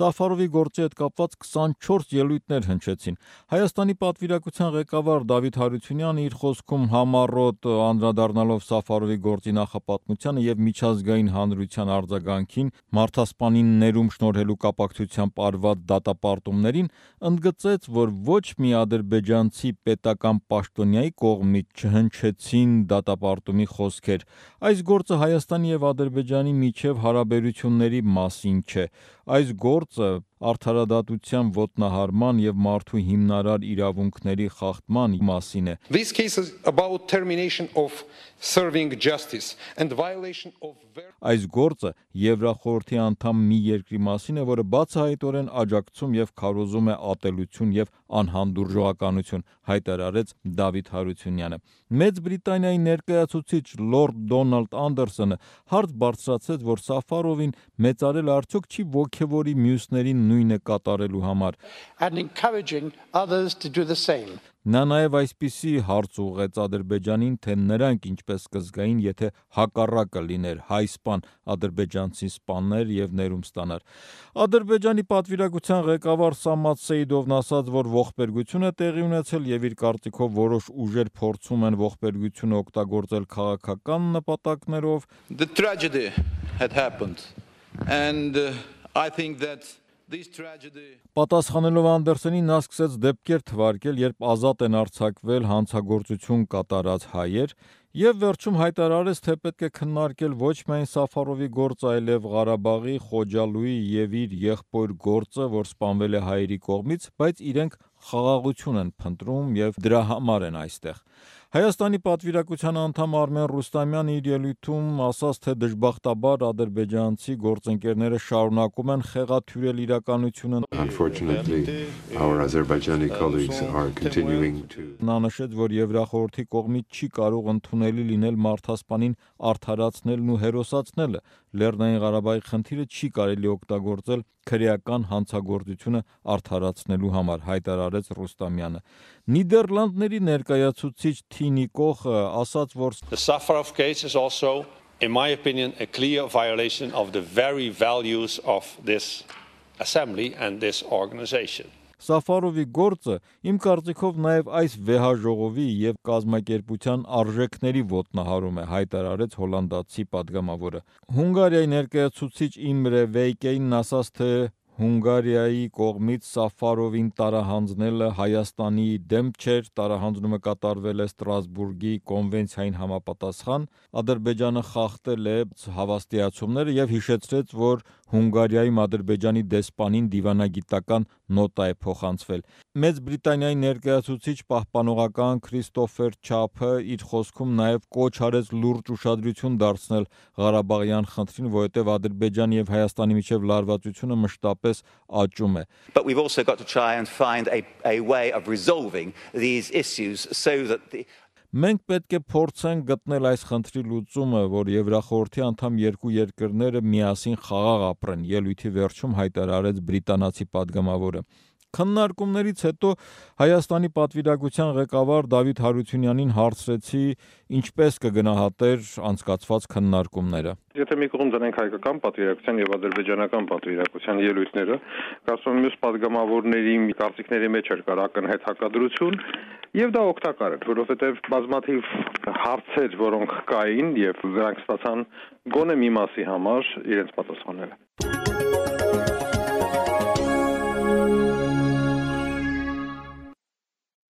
Սաֆարովի գործի հետ կապված 24 ելույթներ հնչեցին։ Հայաստանի պատվիրակության ղեկավար Դավիթ Հարությունյանը իր խոսքում համառոտ անդրադառնալով Սաֆարովի գործի նախապատմությանը եւ միջազգային հանրության արձագանքին, մարդասպանին ներում շնորհելու կապակցությամբ արված դատապարտումներին, ընդգծեց, որ ոչ մի ադրբեջանցի պետական պաշտոնյայի կողմից չհնչեցին դատապարտումի խոսքեր։ Այս գործը Հայաստանի եւ Ադրբեջանի միջև հարաբերությունների մասին չէ։ Այս գործը արդարադատության ոտնահարման եւ մարդու հիմնարար իրավունքների խախտման մասին է։ This case is about termination of serving justice and violation of Այս գործը Եվրախորհրդի անդամ մի երկրի մասին է, որը բացահայտորեն աջակցում եւ քարոզում է ատելություն եւ անհանդուրժողականություն, հայտարարեց Դավիթ Հարությունյանը։ Մեծ Բրիտանիայի ներկայացուցիչ Լորդ Դոնալդ Անդերսոնը հարց բարձրացրեց, որ Սաֆարովին մեծարել արդյոք չի ոգևորի մյուսներին նույնը կատարելու համար։ And encouraging others to do the same. Նա նաև այսպիսի հարց ուղղեց Ադրբեջանին, թե նրանք ինչպես կզգային, եթե հակառակը լիներ, հայ սպան ադրբեջանցի սպաններ եւ ներում ստանար։ Ադրբեջանի պատվիրակության ղեկավար Սամատ Սեյդովն ասաց, որ ողբերգություն է տեղի ունեցել եւ իր կարծիքով որոշ ուժեր փորձում են ողբերգությունը օգտագործել քաղաքական նպատակներով։ The tragedy had happened and I think that Պատասխանելով Անդերսոնին, նա սկսեց դեպքեր թվարկել, երբ ազատ են արձակվել հանցագործություն կատարած հայեր, եւ վերջում հայտարարեց, թե պետք է քննարկել ոչ միայն Սաֆարովի գործը, այլև Ղարաբաղի, Խոջալույի եւ իր եղբոր գործը, որ սպանվել է հայերի կողմից, բայց իրենք խաղաղություն են փնտրում եւ դրա համար են այստեղ։ Հայաստանի պատվիրակության անդամ Արմեն Ռուստամյանը իր ելույթում ասաց, թե դժբախտաբար ադրբեջանցի գործընկերները շարունակում են խեղաթյուրել իրականությունը։ Unfortunately, our Azerbaijani colleagues are continuing to Նա նշեց, որ Եվրախորհրդի կողմից չի կարող ընդունելի լինել մարդասպանին արդարացնելն ու հերոսացնելը։ Լեռնային Ղարաբաղի խնդիրը չի կարելի օգտագործել քրեական հանցագործությունը արդարացնելու համար, հայտարարեց Ռուստամյանը։ Նիդերլանդների ներկայացուցիչ Թինի Կոխը ասաց, որ The Safarov case is also, in my opinion, a clear violation of the very values of this assembly and this organization. Սաֆարովի գործը իմ կարծիքով նաև այս վեհաժողովի եւ կազմակերպության արժեքների ոտնահարում է, հայտարարեց հոլանդացի падգամավորը։ Հունգարիայի ներկայացուցիչ Իմրե Վեյկեյնն ասաց, թե Հունգարիայի կողմից Սաֆարովին տարահանձնելը Հայաստանի դեմ չէր, տարահանձնումը կատարվել է Ստրասբուրգի կոնվենցիային համապատասխան, Ադրբեջանը խախտել է հավաստիացումները եւ հիշեցրեց, որ Հունգարիայում Ադրբեջանի դեսպանին դիվանագիտական նոտա է փոխանցվել։ Մեծ Բրիտանիայի ներկայացուցիչ պահպանողական Քրիստոֆեր Չափը իր խոսքում նաև կոչ արեց լուրջ ուշադրություն դարձնել Ղարաբաղյան խնդրին, որովհետև Ադրբեջանի եւ Հայաստանի միջև լարվածությունը մշտապես աճում է։ But we've also got to try and find a way of resolving these issues so that Մենք պետք է փորձենք գտնել այս խնդրի լուծումը, որ Եվրախորհրդի անդամ երկու երկրները միասին խաղաղ ապրեն, ելույթի վերջում հայտարարեց բրիտանացի падգամավորը։ Քննարկումներից հետո Հայաստանի պատվիրակության ղեկավար Դավիթ Հարությունյանին հարցրեցի, ինչպես կգնահատեր անցկացված քննարկումները։ Եթե մի կողմ դնենք հայկական պատվիրակության եւ ադրբեջանական պատվիրակության ելույթները, կարծում եմ մյուս падգամավորների կարծիքների մեջ էր կար ակնհայտ հակադրություն, եւ դա օգտակար էր, որովհետեւ բազմաթիվ հարցեր, որոնք կային եւ նրանք ստացան գոնե մի մասի համար իրենց պատասխանները։